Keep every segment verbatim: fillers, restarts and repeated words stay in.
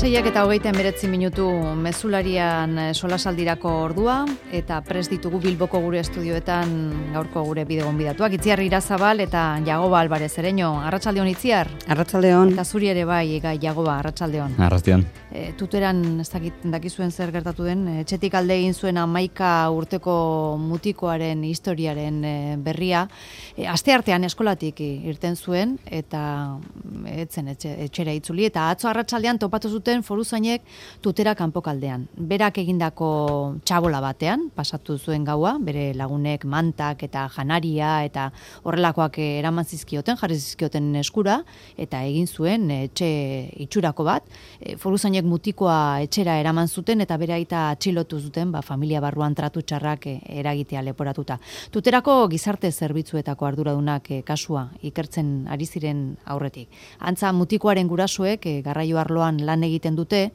Seiak eta hogeita hemeretzi minutu mezularian solasaldirako ordua eta prest ditugu Bilboko gure estudioetan gaurko gure bide gonbidatuak. Itziar Irazabal eta Jagoba Alvarez Ereño. Arratsaldeon Itziar. Arratsaldeon. Eta zuri ere bai, gai Jagoba, arratsaldeon. Arratsaldeon. E, tuteran ez dakit dakizuen zer gertatu den, etxetik alde egin zuen hamaika urteko mutikoaren historiaren e, berria. E, asteartean eskolatik irten zuen eta etzen etxe, etxera itzuli eta atzo arratsaldean topatu zuten foruzainek tutera kanpokaldean. Berak egindako txabola batean pasatu zuen gaua, bere lagunek mantak eta janaria eta horrelakoak eraman zizkioten, jarri zizkioten eskura eta egin zuen etxe itxurako bat. E, foruzainek mutikoa etxera eraman zuten eta bere aita atxilotu zuten, ba, familia barruan tratu txarrak eragitea leporatuta. Tuterako gizarte zerbitzuetako arduradunak e, kasua ikertzen ari ziren aurretik. Antza mutikoaren gurasoek e, garraio arloan lan egiten dute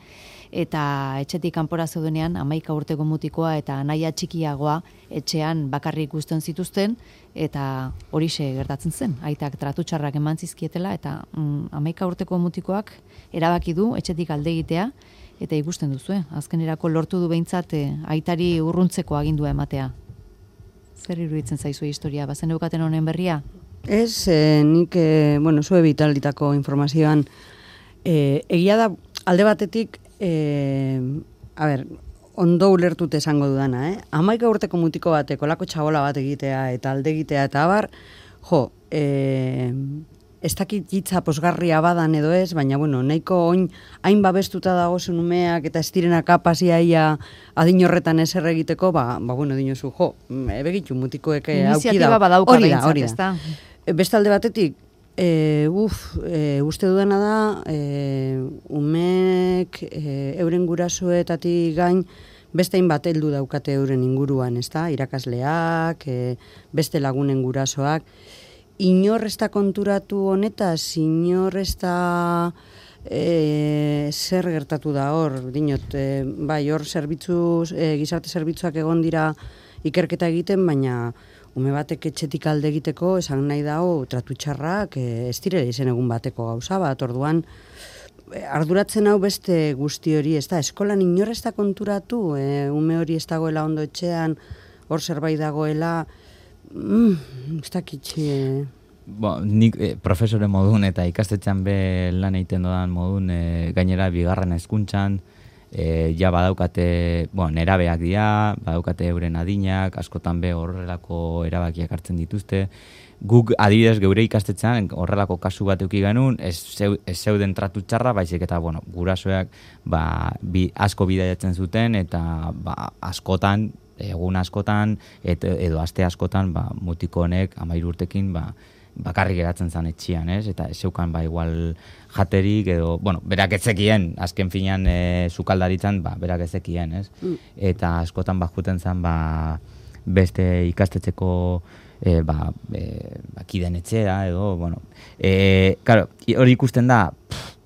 eta etxetik kanpora zeudenean hamaika urteko mutikoa eta anaia txikiagoa etxean bakarrik uzten zituzten eta horixe gertatzen zen. Aitak tratu txarrak eman zizkietela eta mm, hamaika urteko mutikoak erabaki du etxetik alde egitea eta ikusten duzu, azkenerako lortu du behintzat e, aitari urruntzeko agindua ematea. Zer iruditzen zaizu historia, bazen eukaten honen berria? Ez, eh, nik, eh, bueno, zue bitalditako informazioan, eh, egia da, alde batetik, eh, a ber, ondo ulertute esango dudana, eh? Hamaika urteko mutiko bateko lako txabola bat egitea eta alde egitea eta abar, jo, eh, ez dakit hitza posgarria badan edo ez, baina, bueno, nahiko oin, hain babestuta dago zen umeak eta ez direna kapaziaia adin horretan ezer egiteko, ba, ba bueno, dinozu, jo, begitu mutikoek auki da. Iniziatiba badauka behintzat, ez da? Beste alde batetik, e, uf, e, uste dudana da, e, umeek e, euren gurasoetatik gain, beste hainbat heldu daukate euren inguruan, ez da? Irakasleak, e, beste lagunen gurasoak, inor ez da konturatu honetaz, inor ez da e, zer gertatu da hor, dinot, e, bai, hor zerbitzu, e, gizarte zerbitzuak egon dira ikerketa egiten, baina ume batek etxetik alde egiteko, esan nahi dago, tratu txarrak, e, ez direla izen egun bateko gauza bat, orduan, e, arduratzen hau beste guzti hori, ez da, eskolan inor ez da konturatu, e, ume hori ez dagoela ondo etxean, hor zerbait dagoela, Mm, ez dakitxe... Bo, nik eh, profesore modun eta ikastetxean be lan egiten dodan modun eh, gainera bigarren hezkuntzan eh, ja badaukate, bueno, nerabeak dira, badaukate euren adinak, askotan be horrelako erabakiak hartzen dituzte. Guk adibidez geure ikastetxean horrelako kasu bat eduki genuen, ez, zeu, ez zeuden tratu txarra, baizik eta bueno, gurasoak ba, bi, asko bidaiatzen zuten eta ba, askotan egun askotan et, edo aste askotan ba, mutiko honek hamairu urtekin ba, bakarrik geratzen zan etxian, ez? Eta ez zeukan ba, igual jaterik edo, bueno, berak ezekien, azken finean e, sukaldaritzan, ba, berak ezekien, ez? Mm. Eta askotan bajuten zan ba, beste ikastetxeko e, ba, e, ba, kiden etxera edo, bueno, e, claro, hori ikusten da, pff,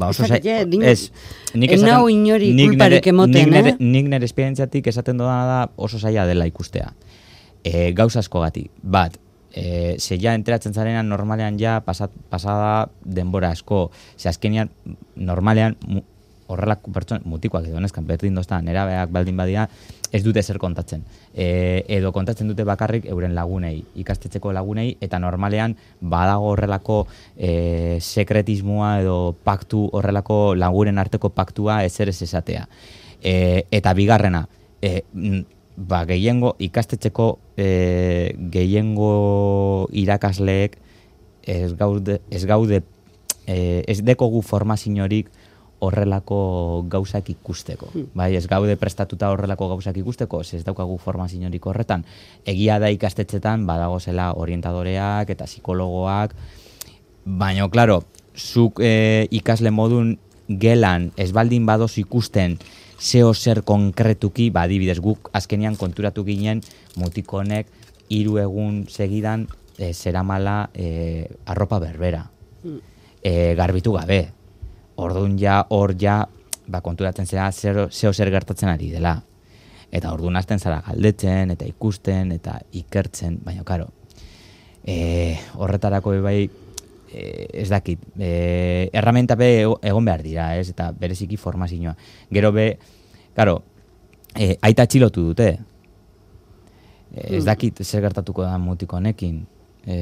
ba, oso zai, ez, nik esaten, inori kulparik emoten, nik nere, eh? nik nere esperientziatik esaten dudana da oso zaila dela ikustea. E, gauza asko gati, bat, e, ze ja enteratzen zarenan normalean ja pasat, pasada denbora asko, ze azkenean normalean mu, horrelako pertsona, mutikoak edo neskan, berdin doztan, nerabeak baldin badia, ez dute zer kontatzen. E, edo kontatzen dute bakarrik euren lagunei, ikastetxeko lagunei, eta normalean badago horrelako e, sekretismoa edo paktu, horrelako lagunen arteko paktua ezer ez esatea. E, eta bigarrena, e, ba, gehiengo, ikastetxeko e, gehiengo irakasleek ez gaude, ez gaude, e, ez dekogu formaziorik horrelako gauzak ikusteko. Bai, ez gaude prestatuta horrelako gauzak ikusteko, ez daukagu formaziorik horretan. Egia da ikastetxetan badagozela orientadoreak eta psikologoak, baina, klaro, zuk e, ikasle modun gelan ez baldin badoz ikusten zeo zer konkretuki, ba, adibidez, guk azkenian konturatu ginen mutiko honek hiru egun segidan e, zeramala e, arropa berbera. E, garbitu gabe. Orduan ja, hor ja, ba, konturatzen zera zeo zer gertatzen ari dela. Eta orduan hasten zara galdetzen, eta ikusten, eta ikertzen, baina, karo, e, horretarako bai e, ez dakit, e, erramenta be egon behar dira, ez, eta bereziki formazioa. Gero be, claro, e, aita atxilotu dute, e, ez dakit zer gertatuko da mutiko honekin, e,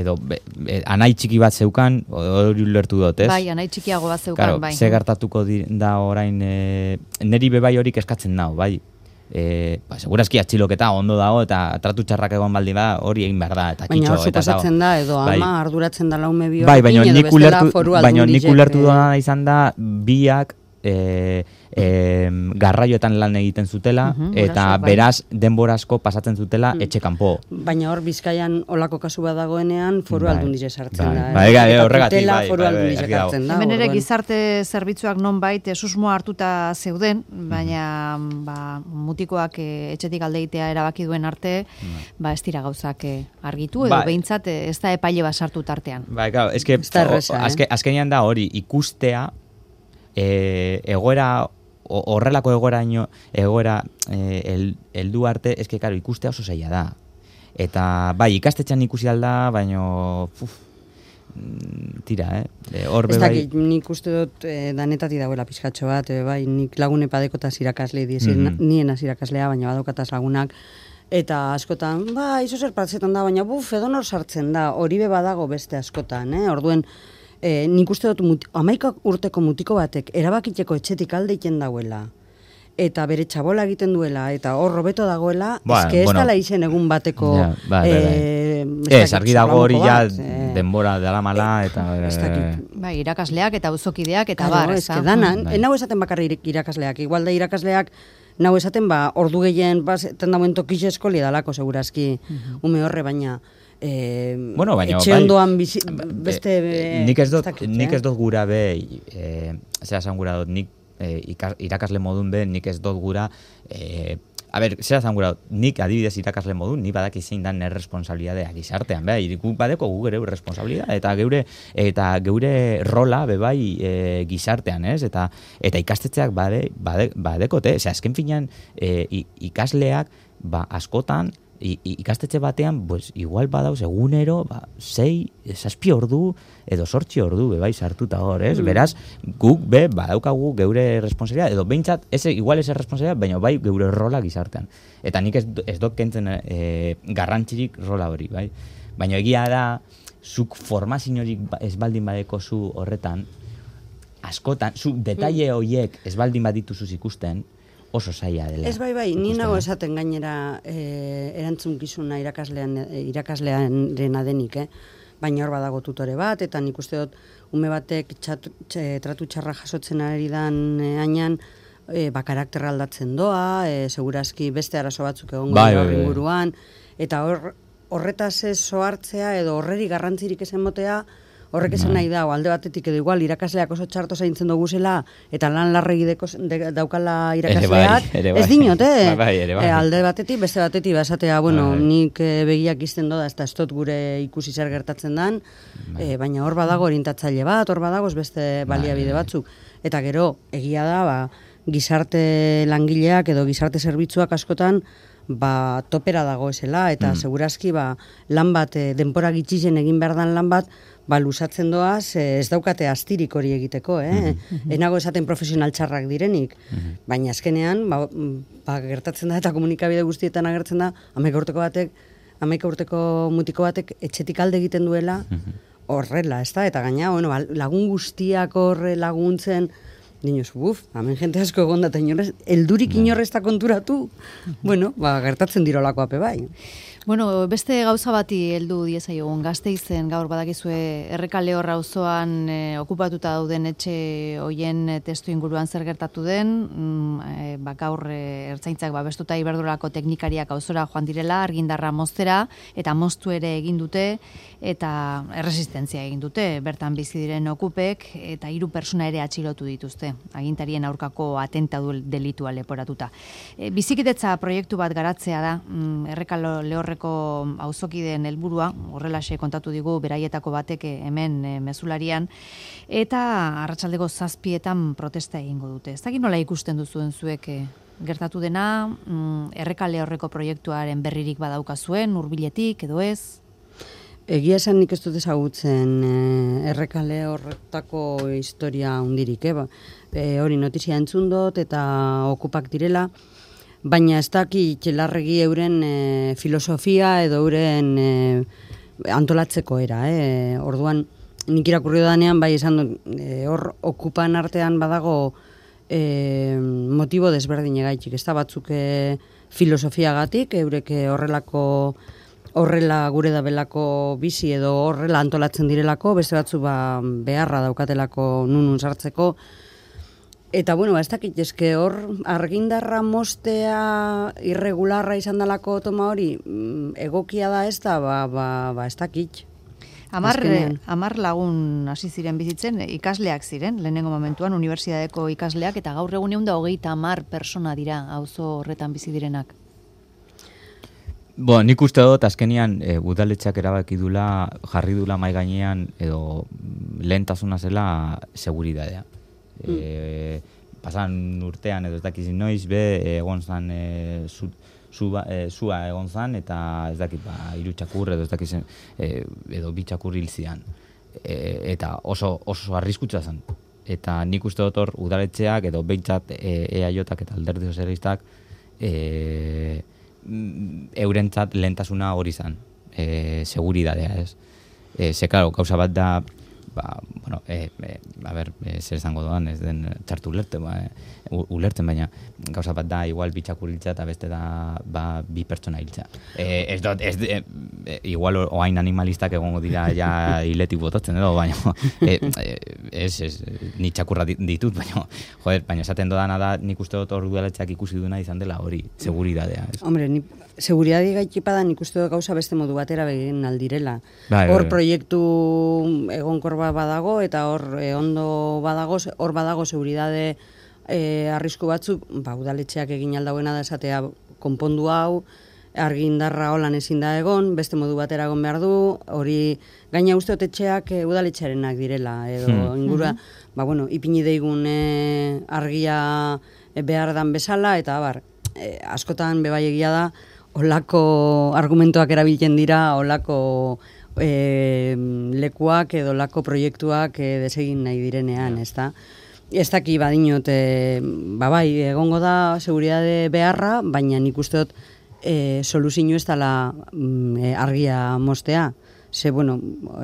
edo be, be, anai txiki bat zeukan, hori ulertu dut, ez? Bai, anai txikiago bat zeukan, claro, bai. Zer gertatuko di, da orain, e, neri bebai horik eskatzen dau, bai? E, ba, segurazki atxiloketa ondo dago eta tratu txarrak egon baldi ba hori egin behar da eta baina kitxo hor suposatzen da edo bai. ama arduratzen da laume bi bai, baina edo nik bestela ulertu, foru baina nik aldundiek, ulertu eh, dena izan da biak e, e, garraioetan lan egiten zutela Mhm, eta gurasoak, bai. beraz denbora asko pasatzen zutela Mm. etxe kanpo. baina hor Bizkaian olako kasu bat dagoenean foru Bai. aldundize sartzen Bai. da. Bai, bai, Eta horregatik, tutela bai, foru bai, bai, aldundize argi dago. hartzen da. Hemen ere orduan. gizarte zerbitzuak nonbait eh, susmoa hartuta zeuden, baina ba, mutikoak eh, etxetik aldeitea erabaki duen arte, ba ez dira gauzak eh, argitu, edo Bai. behintzat eh, ez da epaile bat sartu tartean. Bai, claro, eske Ez da erreza, eh? azke, azkenean da hori ikustea e, egoera o- horrelako egoeraino egoera e, el, heldu arte eske claro ikustea oso zaila da. Eta bai, ikastetxean ikusi alda, baino uf, mm, tira, eh. E, Hor Ez be bai. dakit, nik uste dut eh, danetatik dagoela pizkatxo bat, eh, bai, nik lagune padekotaz irakasle dizir, Mhm. nien az irakaslea, baina badokataz lagunak, eta askotan, ba, izo zer partzetan da, baina buf, edonor sartzen da, hori be badago beste askotan, eh? Orduen, eh, nik uste dut muti, amaika urteko mutiko batek erabakiteko etxetik aldeiten dauela, eta bere txabola egiten duela, eta hor robeto dagoela, Ba, eske ez bueno. dala izen egun bateko, Ja, bai, bai, bai. eh, ez Ez, dakit, argi dago hori ja solamuko bat, eh, denbora dela mala eta ez dakit. Bai, irakasleak eta auzokideak eta Claro, bar, ez ezta? que danan, Bai. eh, nau esaten bakarrik irakasleak, igual da irakasleak nau esaten ba ordu gehien ba tendauen tokixe eskoli dalako segurazki ume horre baina eh, Bueno, baina etxe bai, ondoan bizi, beste eh, nik ez dut dakit, nik eh? ez dut gura be eh zera esan gura dut nik eh, ikas- irakasle modun be nik ez dut gura eh A ber, zera esan gura dut, nik adibidez irakasle modun, ni badaki zein dan erresponsabilidadea gizartean, beha, iriku badeko gu geure responsabilidad, eta geure eta geure rola be bai e, gizartean, ez? Eta eta ikastetxeak bade, bade, badekote, osea, azken finean e, i- ikasleak ba askotan I, i- ikastetxe batean, pues, igual badauz egunero, ba, sei, zazpi ordu, edo sortzi ordu, be, bai, sartuta hor, ez? Beraz, guk, be, badaukagu geure responsabilidad, edo behintzat, ez, igual ez responsabilidad, baina bai, geure rola gizartean. Eta nik ez, ez dut kentzen e, garrantzirik rola hori, bai? Baina egia da, zuk formaziorik ba- ez baldin badeko zu horretan, askotan, zu detaile horiek ez baldin badituzuz ikusten, oso zaila dela. Ez bai bai, ni ikustea. nago esaten gainera eh, erantzunkizuna irakaslean eh, irakaslearena denik, eh? Baina hor badago tutore bat, eta nik uste dut ume batek txatu, txe, tratu txarra jasotzen ari dan eh, ainan, e, ba, karakterra aldatzen doa, e, segurazki beste arazo batzuk egongo Bai, dira bai, horren bai. inguruan, eta hor, horretaz ez soartzea edo horreri garrantzirik ezen motea, horrek esan nahi da, o alde batetik edo igual irakasleak oso txarto zaintzen duguzela, eta lan larregi deko, de, daukala irakasleak, ere bai. ez dinot, eh? Bai, bai, ere bai. E, alde batetik, beste batetik, basatea, bueno, Bai, bai. nik e, begiak izten doda, ez da ez dut gure ikusi zer gertatzen dan, e, baina hor badago orientatzaile bat, hor badago ez beste baliabide bai. batzuk. Eta gero, egia da, ba, gizarte langileak edo gizarte zerbitzuak askotan, ba, topera dagoezela, eta Mm. segurazki, ba, lan bat, e, denpora gitxizen egin behar dan lan bat, ba, lusatzen doaz, e, ez daukate astirik hori egiteko, eh? Enago esaten profesional txarrak direnik, baina azkenean, ba, ba, gertatzen da eta komunikabide guztietan agertzen da, hamaika urteko batek, hamaika urteko mutiko batek etxetik alde egiten duela, horrela, ez da? Eta gaina, bueno, ba, lagun guztiak horre laguntzen, Niños, buf, hemen jente asko egon da, eta inorrez, eldurik inorrez da konturatu, bueno, ba, gertatzen dirolako ape bai. Bueno, beste gauza bati heldu diezaiogun Gasteizen gaur badakizue Errekale hor auzoan e, okupatuta dauden etxe hoien e, testu inguruan zer gertatu den, mm, e, ba, gaur e, ertzaintzak babestuta iberdrolako teknikariak auzora joan direla, argindarra moztera, eta moztu ere egin dute, eta erresistentzia egin dute, bertan bizi diren okupek, eta hiru pertsona ere atxilotu dituzte, agintarien aurkako atentatu delitua leporatuta. E, bizikitetza proiektu bat garatzea da, mm, Errekalo lehorreko auzokideen helburua, horrelaxe kontatu digu beraietako batek hemen e, mezularian, eta arratsaldeko zazpietan protesta egingo dute. Ez dakit nola ikusten duzuen zuek e, gertatu dena, mm, Errekale horreko proiektuaren berririk badaukazuen, hurbiletik edo ez? Egia esan nik ez dut ezagutzen e, errekale horretako historia hundirik, eh? E, hori notizia entzun dut eta okupak direla, baina ez dakit larregi euren e, filosofia edo euren e, antolatzeko era. Eh? Orduan, nik irakurri danean, bai esan dut, e, hor okupan artean badago e, motibo desberdin egaitik. Ez da batzuk e, filosofiagatik, eurek horrelako horrela gure da belako bizi edo horrela antolatzen direlako, beste batzu ba, beharra daukatelako nunun sartzeko. Eta, bueno, ba, ez dakit, eske hor argindarra mostea irregularra izan dalako toma hori, egokia da ez da, ba, ba, ba ez dakit. Amar, amar lagun hasi ziren bizitzen, ikasleak ziren, lehenengo momentuan, unibertsitateko ikasleak, eta gaur egun egun da hogeita amar persona dira, auzo horretan bizi direnak. Bo, nik uste dut, azkenian, e, udaletxeak erabaki dula, jarri dula mai gainean, edo lehentasuna zela seguridadea. Mm. E, pasan urtean, edo ez dakiz noiz, be, egon zan, e, zu, zu, e, zua egon zan, eta ez dakit, ba, hiru txakur, edo ez dakiz, e, edo bi txakur hil zian. E, eta oso, oso arriskutsa zen. Eta nik uste dut hor, udaletxeak, edo behintzat e, E A J-ak eta alderdi sozialistak, e, eurentzat lehentasuna hori zan, e, seguridadea, ez. E, ze, claro, gauza bat da, ba, bueno, e, e, a ber, e, zer zango doan, ez den txartu ulertzen, ba, e, ulertzen, baina gauza bat da, igual bi txakur hiltza eta beste da, ba, bi pertsona hiltza. E, ez dut, ez, e, e, igual oain animalistak egongo dira ja hiletik botatzen edo, baina, e, e, ez, ez, ni txakurra ditut, baina, joder, baina esaten dodana da, nik uste dut hor udaletxeak ikusi duna izan dela hori, seguridadea. Ez. Hombre, ni, seguridadi gaitipada nik uste dut gauza beste modu batera begin aldirela. Bai, hor bai, bai. proiektu egonkor badago, eta hor e, ondo badago, hor badago seguridade e, arrisku batzuk, ba, udaletxeak egin aldauena da esatea konpondu hau, argindarra holan ezin da egon, beste modu batera egon behar du, hori gaina uste otetxeak e, udaletxearenak direla, edo hmm. ingura, ba, bueno, ipini deigun e, argia e, behar dan bezala, eta bar, e, askotan bebai egia da, olako argumentoak erabiltzen dira, olako e, lekuak edo olako proiektuak e, desegin nahi direnean, ez da? Ez daki badinot, e, ba bai, egongo da seguridade beharra, baina nik uste dut e, soluzio ez dela e, argia mostea. Ze, bueno,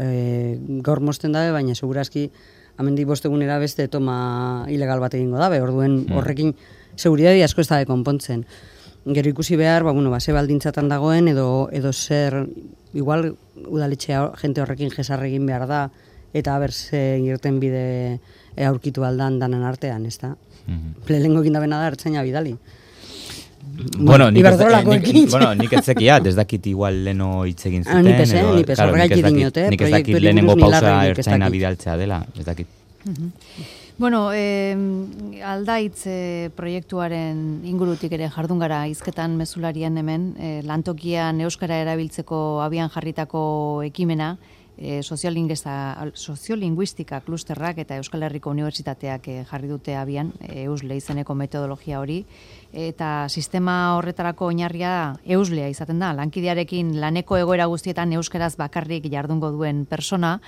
e, gaur mosten dabe, baina segurazki amendik bostegunera beste toma ilegal bat egingo dabe, orduen horrekin seguridade asko ez dabe konpontzen. Gero ikusi behar, ba, bueno, ba, ze baldintzatan dagoen, edo, edo zer, igual udaletxea jente horrekin jesarregin behar da, eta haber ze irten bide e, aurkitu aldan danan artean, ez da? Mm-hmm. Lehengo egin dabena da ertzaina bidali. Bueno, nik ez, nik, bueno, nik ez zekiat, ez dakit igual leno hitz egin zuten. Ah, ni pese, ni pese, horregaitik dinote. Nik ez dakit lehenengo pausa ertzaina bidaltzea dela, ez dakit. Mm-hmm. Bueno, eh, aldaitz eh, proiektuaren ingurutik ere jardun gara hizketan mezularian hemen, eh, lantokian euskara erabiltzeko abian jarritako ekimena, eh, soziolinguistika klusterrak eta Euskal Herriko Unibertsitateak eh, jarri dute abian, eh, eusle izeneko metodologia hori, eta sistema horretarako oinarria euslea izaten da, lankidearekin laneko egoera guztietan euskaraz bakarrik jardungo duen persona,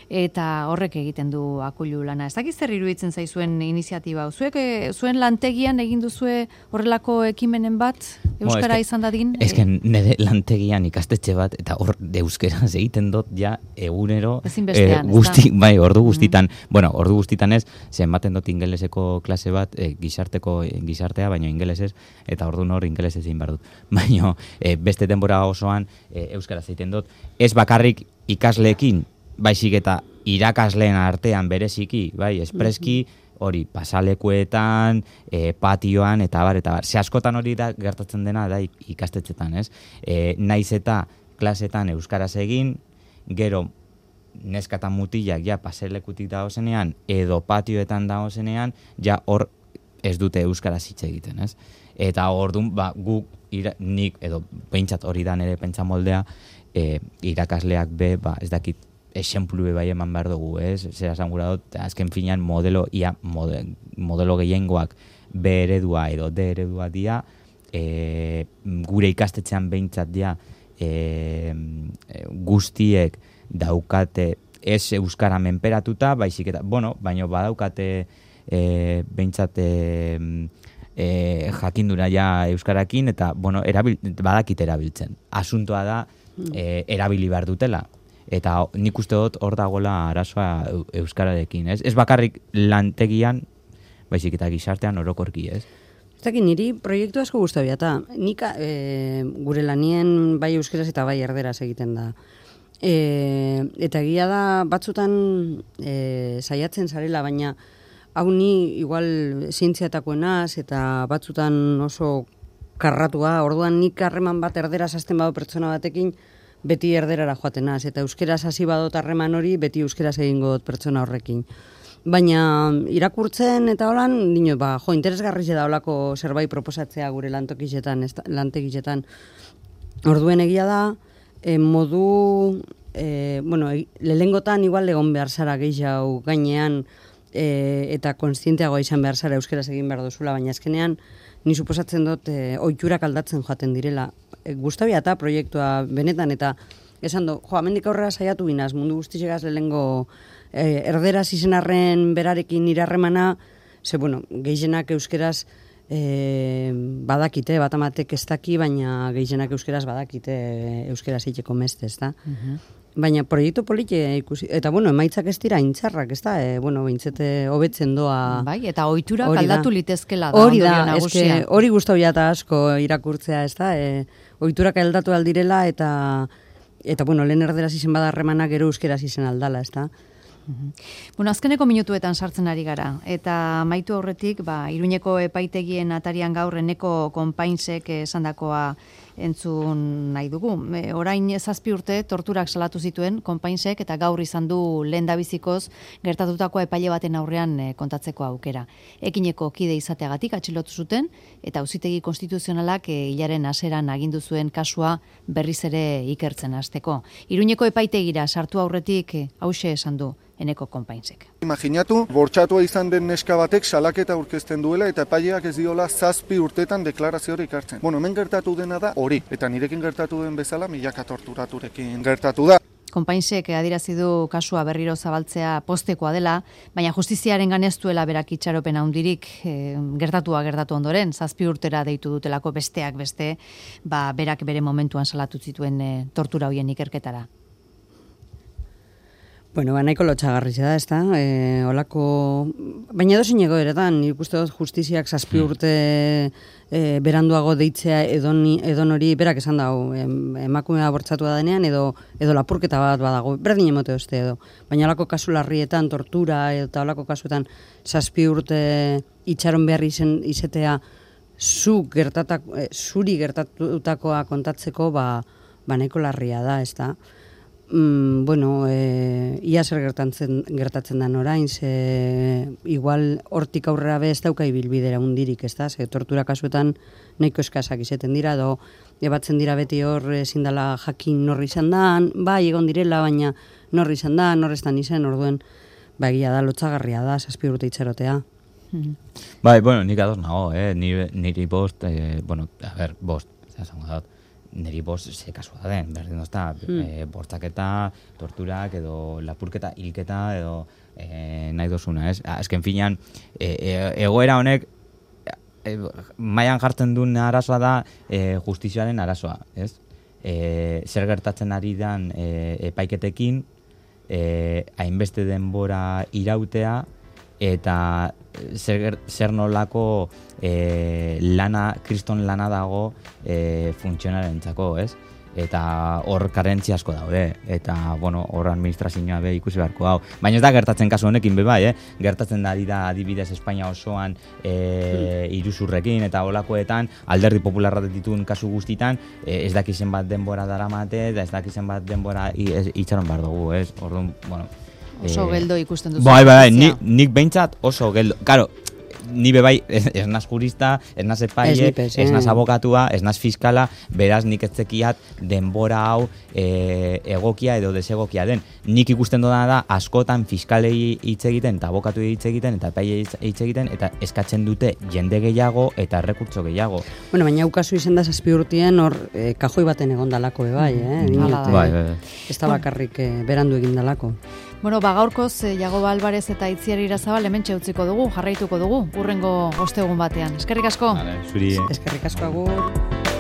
eta horrek egiten du akulu lana. Ez dakiz zer iruditzen zaizuen iniziatiba. Zuek, zuen lantegian egin duzue horrelako ekimenen bat, euskara no, izan dadin? Ez que nire lantegian ikastetxe bat, eta hor euskeraz egiten dut ja egunero eh, guzti, bai, ordu guztitan, mm-hmm. bueno, ordu guztitan ez, zenbaten dut ingeleseko klase bat, eh, gizarteko gizartea, baina ingelesez, eta ordu nor ingelesez egin behar dut. Baina eh, beste denbora osoan eh, euskaraz egiten dut. Ez bakarrik ikasleekin, baizik eta irakasleen artean bereziki, bai, espreski, hori, pasalekuetan, e, patioan, eta bar, eta bar. Ze askotan hori da gertatzen dena, da ikastetxetan, ez? E, naiz eta klasetan euskaraz egin, gero neskatan mutilak ja paselekutik dagozenean, edo patioetan dagozenean, ja hor ez dute euskaraz hitz egiten, ez? Eta ordun, ba, guk, ira, nik, edo behintzat hori da nire pentsamoldea, e, irakasleak be, ba, ez dakit, esenplu bai eman behar dugu, ez? Zer esan gura dut, azken finean modelo, ia, model, modelo gehiengoak B eredua edo D eredua dia, e, gure ikastetxean behintzat dia, e, guztiek daukate ez euskara menperatuta, baizik eta, bueno, baino badaukate e, behintzat e, e, jakindura ja euskarakin, eta, bueno, erabil, badakite erabiltzen. Asuntoa da, e, erabili behar dutela. Eta nik uste dut hor dagoela arazoa euskararekin, ez? Ez bakarrik lantegian, baizik eta gizartean orokorki, ez? Ez dakit, niri proiektu asko guztabia, eta nik e, gure lanien bai euskeraz eta bai erderaz egiten da. E, eta egia da batzutan e, saiatzen zarela, baina hau ni igual zientziatakoenaz eta batzutan oso karratua, orduan nik harreman bat erderaz hasten badu pertsona batekin, beti erderara joatenaz, eta euskeraz hasi badot harreman hori, beti euskeraz egingo dut pertsona horrekin. Baina irakurtzen eta holan, dino, ba, jo, interesgarri da holako zerbait proposatzea gure lantokizetan, lantegizetan. Orduen egia da, e, modu, e, bueno, e, lehengotan igual egon behar zara gehiago gainean, e, eta konstienteagoa izan behar zara euskeraz egin behar duzula, baina azkenean, ni suposatzen dut, e, ohiturak aldatzen joaten direla. E, Gustabia eta proiektua benetan, eta esan du, jo, amendik aurrera saiatu binaz, mundu guztizegaz lehengo e, erderaz izenarren berarekin irarremana, ze, bueno, gehienak euskeraz e, badakite, bat amatek ez daki, baina gehienak euskeraz badakite euskeraz itxeko meste, ez da? Uh-huh. Baina proiektu polite ikusi, eta bueno, emaitzak ez dira intzarrak, ez da? E, bueno, bintzete hobetzen doa. Bai, eta ohiturak aldatu litezkela da. Hori da, eske, hori guztabia eta asko irakurtzea, ez da? E, ohiturak aldatu aldirela, eta eta bueno, lehen erderaz izen bada harremanak gero euskeraz izen aldala, ez da? Uh-huh. Bueno, azkeneko minutuetan sartzen ari gara, eta amaitu aurretik, ba, Iruñeko epaitegien atarian gaur Eneko Konpainsek esandakoa entzun nahi dugu. E, orain zazpi urte torturak salatu zituen Konpainsek, eta gaur izan du lehendabizikoz gertatutako epaile baten aurrean e, kontatzeko aukera. Ekineko kide izateagatik atxilotu zuten, eta Auzitegi Konstituzionalak e, hilaren hasieran agindu zuen kasua berriz ere ikertzen hasteko. Iruñeko epaitegira sartu aurretik e, hauxe esan du Eneko Konpainsek. Imaginatu, bortxatua izan den neska batek salaketa aurkezten duela eta epaileak ez diola zazpi urtetan deklarazio hori ikartzen. Bueno, hemen gertatu dena da hori, eta nirekin gertatu den bezala milaka torturaturekin gertatu da. Konpainsek adierazi du kasua berriro zabaltzea postekoa dela, baina justiziaren ganeztuela berak itxaropen handirik e, gertatua gertatu ondoren, zazpi urtera deitu dutelako besteak beste, ba, berak bere momentuan salatu zituen e, tortura hoien ikerketara. Bueno, ba, nahiko lotxagarri da, ez da? E, olako... Baina dozin egoeretan, nik uste dut justiziak zazpi urte e, beranduago deitzea edon, edon hori berak esan dago, em, emakumea bortzatua denean edo edo lapurketa bat badago, berdin emote oste edo. Baina olako kasu larrietan, tortura eta olako kasuetan zazpi urte itxaron behar izen, izetea zu gertatak, e, zuri gertatutakoa kontatzeko, ba, ba nahiko larria da, ez da? Mm, bueno, e, ia zer gertatzen, gertatzen den orain, ze igual hortik aurrera be ez dauka ibilbidera undirik, ez da? Ze tortura kasuetan nahiko eskasak izeten dira, edo ebatzen dira beti hor ezin dela jakin norri izan dan, bai egon direla, baina norri izan da, norrestan izen, orduen, ba egia da, lotxagarria da, zazpi urte itxerotea. Mm-hmm. Bai, bueno, nik ados nago, eh? Niri, niri bost, eh, bueno, a ver, bost, zango dut. Neri bost ze kasua da den, berdin dozta, hmm. e, bortzaketa, torturak, edo lapurketa, hilketa, edo e, nahi dozuna, ez? Azken finean, e, e, egoera honek, e, mailan jartzen duen arazoa da e, justizioaren arazoa, ez? E, zer gertatzen ari dan e, epaiketekin, e, hainbeste denbora irautea, eta zer, zer nolako e, lana, kriston lana dago e, funtzionarentzako, ez? Eta hor karentzi asko daude, eta, bueno, hor administrazioa be ikusi beharko hau. Baina ez da gertatzen kasu honekin be bai, eh? Gertatzen da dira adibidez Espainia osoan e, iruzurrekin eta holakoetan, alderdi popularra dituen kasu guztitan, e, ez dakizen bat denbora daramate, eta ez dakizen bat denbora itxaron behar dugu, ez? Orduan, bueno, oso geldo ikusten duzu. Bai, bai, bai, nik, nik behintzat oso geldo. Karo, ni bebai, ez, ez naz jurista, ez naz epaile, Ez nipez, ez naz eh. abokatua, ez naz fiskala, beraz nik ez zekiat denbora hau e, egokia edo desegokia den. Nik ikusten dudana da, askotan fiskalei hitz egiten, eta abokatu hitz egiten, eta epaile hitz egiten, eta eskatzen dute jende gehiago eta errekurtso gehiago. Bueno, baina ukazu izan da zazpi urtien hor eh, kajoi baten egon dalako bebai, eh? Hala Dinot, da. eh, Bai, bai, bai. Ez da bakarrik eh, berandu egin dalako. Bueno, ba gaurkoz eh, Jagoba Alvarez eta Itziar Irazabal hementxe utziko dugu, jarraituko dugu, urrengo ostegun batean. Eskerrik asko. Vale, zuri... Eskerrik asko agur.